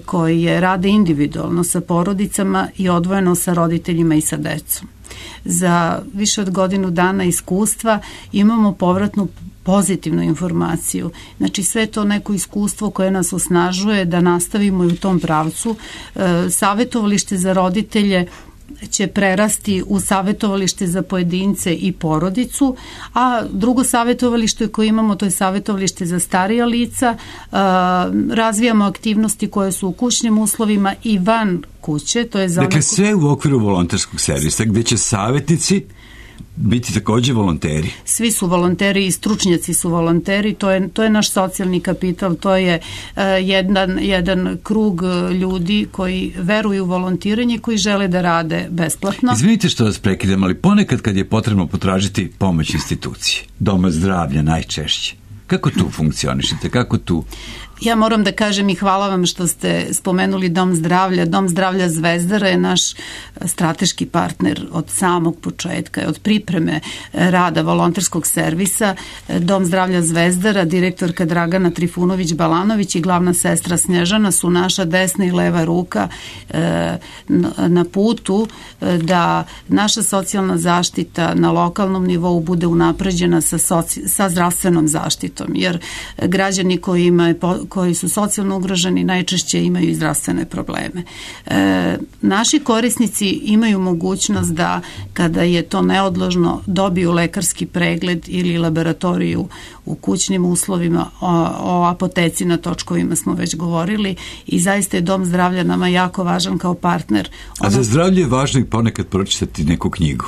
koje rade individualno sa porodicama i odvojeno sa roditeljima i sa decom. Za više od godinu dana iskustva imamo povratnu pozitivnu informaciju. Znači sve to neko iskustvo koje nas osnažuje da nastavimo i u tom pravcu. Savetovalište za roditelje će prerasti u savetovalište za pojedince i porodicu, a drugo savetovalište koje imamo, to je savetovalište za starija lica. Razvijamo aktivnosti koje su u kućnim uslovima i van kuće. To je za dakle, sve u okviru volonterskog servisa, gde će savetnici biti takođe volonteri. Svi su volonteri i stručnjaci su volonteri, to je, to je naš socijalni kapital, to je uh, jedan, jedan krug ljudi koji veruju u volontiranje, koji žele da rade besplatno. Izvinite što vas prekidam, ali ponekad kad je potrebno potražiti pomoć institucije, doma zdravlja najčešće, kako tu funkcionišete, kako tu... Ja moram da kažem i hvala vam što ste spomenuli Dom zdravlja. Dom zdravlja Zvezdara je naš strateški partner od samog početka, od pripreme rada volonterskog servisa. Dom zdravlja Zvezdara, direktorka Dragana Trifunović-Balanović i glavna sestra Snježana su naša desna i leva ruka na putu da naša socijalna zaštita na lokalnom nivou bude unapređena sa, soci, sa zdravstvenom zaštitom, jer građani koji imaju koji su socijalno ugroženi najčešće imaju i zdravstvene probleme. E, naši korisnici imaju mogućnost da kada je to neodložno dobiju lekarski pregled ili laboratoriju u kućnim uslovima, o, o apoteci na točkovima smo već govorili i zaista je Dom zdravlja nama jako važan kao partner. Ono... A za zdravlje je važno i ponekad pročitati neku knjigu?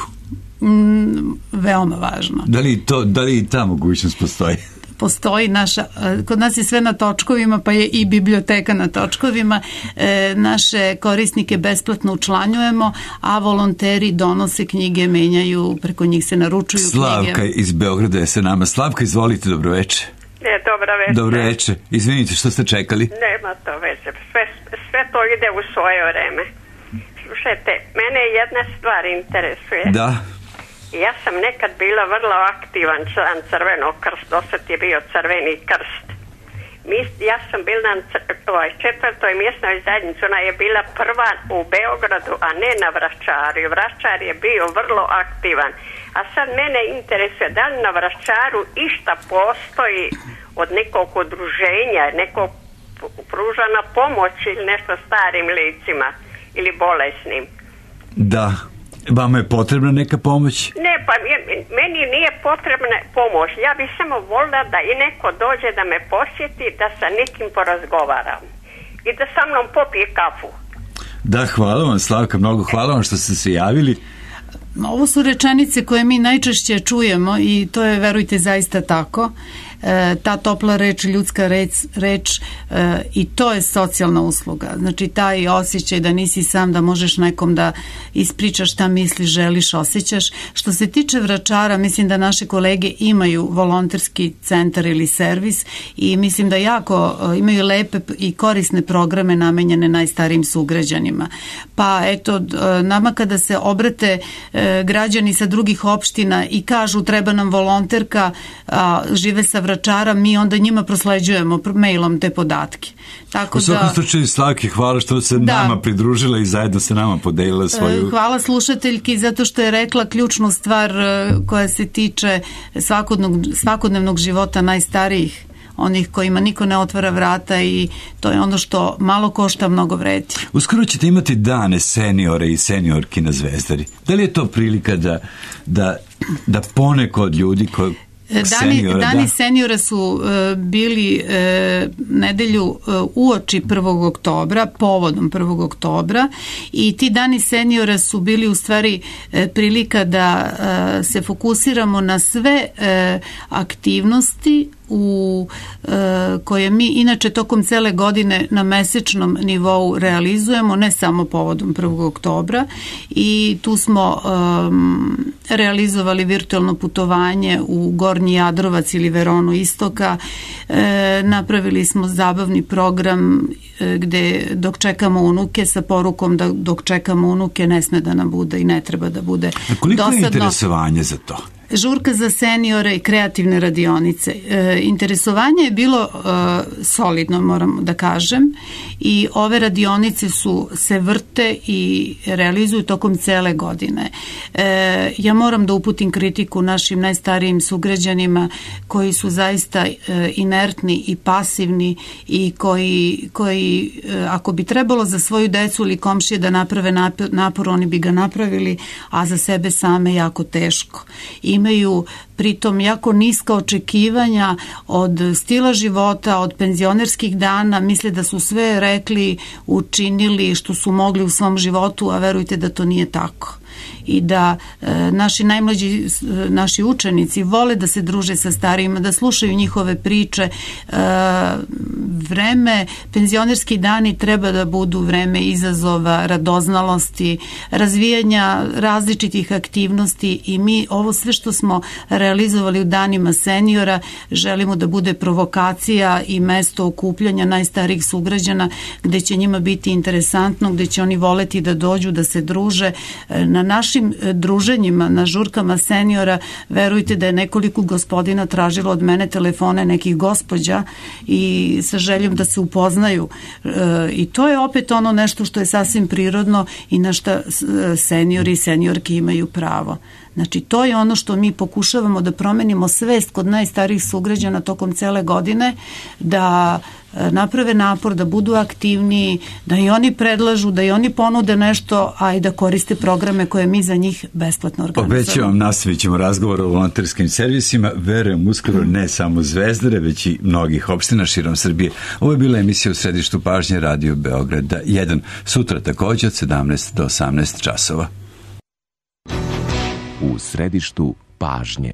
Mm, veoma važno. Da li, to, da li i ta mogućnost postoji? Postoji naša, kod nas je sve na točkovima, pa je i biblioteka na točkovima. E, naše korisnike besplatno učlanjujemo, a volonteri donose knjige, menjaju, preko njih se naručuju Slavka knjige. Slavka iz Beograda je sa nama. Slavka, izvolite, dobroveče. E, dobra veče. Dobroveče. Izvinite, što ste čekali? Nema to veze. Sve, sve to ide u svoje vreme. Slušajte, mene jedna stvar interesuje. Da. Ja sam nekad bila vrlo aktivan član Crvenog krsta, dosad je bio Crveni krst. Mi, ja sam bila na ovaj, četvrtoj mjesnoj zajednici, ona je bila prva u Beogradu, a ne na Vračaru. Vračar je bio vrlo aktivan. A sad mene interesuje da li na Vračaru išta postoji od nekog udruženja, nekog pružana pomoć ili nešto starim licima ili bolesnim. Da. Vama je potrebna neka pomoć? Ne, pa meni nije potrebna pomoć. Ja bih samo volila da i neko dođe da me posjeti, da sa nekim porazgovaram i da sa mnom popije kafu. Da, hvala vam, Slavka, mnogo hvala vam što ste se javili. Ovo su rečenice koje mi najčešće čujemo i to je, verujte, zaista tako. E, ta topla reč, ljudska reč, reč e, i to je socijalna usluga. Znači taj osjećaj da nisi sam, da možeš nekom da ispričaš šta misliš, želiš, osjećaš. Što se tiče Vračara, mislim da naše kolege imaju volonterski centar ili servis i mislim da jako e, imaju lepe i korisne programe namenjene najstarijim sugrađanima. Pa eto, e, nama kada se obrate e, građani sa drugih opština i kažu treba nam volonterka, a, žive sa Vračara, mi onda njima prosleđujemo mailom te podatke. Tako u svakom da, slučaju, Slavki, hvala što se da, nama pridružila i zajedno se nama podelila svoju... Hvala slušateljki zato što je rekla ključnu stvar koja se tiče svakodnevnog, svakodnevnog života najstarijih, onih kojima niko ne otvara vrata i to je ono što malo košta, mnogo vredi. Uskoro ćete imati dane seniore i seniorki na Zvezdari. Da li je to prilika da, da, da poneko od ljudi koji Dani, seniora, dani da. seniora su uh, bili uh, nedelju uh, uoči prvog oktobra, povodom prvog oktobra i ti dani seniora su bili u stvari uh, prilika da uh, se fokusiramo na sve uh, aktivnosti u e, koje mi inače tokom cele godine na mesečnom nivou realizujemo, ne samo povodom prvog oktobra i tu smo e, realizovali virtualno putovanje u Gornji Jadrovac ili Veronu Istoka, e, napravili smo zabavni program e, gde dok čekamo unuke sa porukom da dok čekamo unuke ne sme da nam bude i ne treba da bude A koliko dosadno. Je interesovanje za to? Žurka za seniore i kreativne radionice. E, interesovanje je bilo e, solidno, moram da kažem, i ove radionice su se vrte i realizuju tokom cele godine. E, ja moram da uputim kritiku našim najstarijim sugrađanima koji su zaista e, inertni i pasivni i koji, koji e, ako bi trebalo za svoju decu ili komšije da naprave napor, napor, oni bi ga napravili, a za sebe same jako teško. I imaju pritom jako niska očekivanja od stila života, od penzionerskih dana, misle da su sve rekli, učinili što su mogli u svom životu, a verujte da to nije tako. I da e, naši najmlađi, e, naši učenici vole da se druže sa starijima, da slušaju njihove priče. E, vreme, penzionerski dani treba da budu vreme izazova, radoznalosti, razvijanja različitih aktivnosti i mi ovo sve što smo realizovali u danima seniora želimo da bude provokacija i mesto okupljanja najstarijih sugrađana gde će njima biti interesantno, gde će oni voleti da dođu, da se druže. Na našim druženjima, na žurkama seniora, verujte da je nekoliko gospodina tražilo od mene telefone nekih gospođa i sa željom da se upoznaju. E, i to je opet ono nešto što je sasvim prirodno i na šta seniori i seniorke imaju pravo. Znači, to je ono što mi pokušavamo da promenimo svest kod najstarijih sugrađana tokom cele godine, da naprave napor, da budu aktivniji, da i oni predlažu, da i oni ponude nešto, a i da koriste programe koje mi za njih besplatno organizujemo. Obećavam, nastavit ćemo razgovor o volonterskim servisima, verujem uskoro ne samo Zvezdare, već i mnogih opština širom Srbije. Ovo je bila emisija u središtu pažnje Radio Beograda jedan, sutra takođe od sedamnaest do osamnaest časova. U središtu pažnje.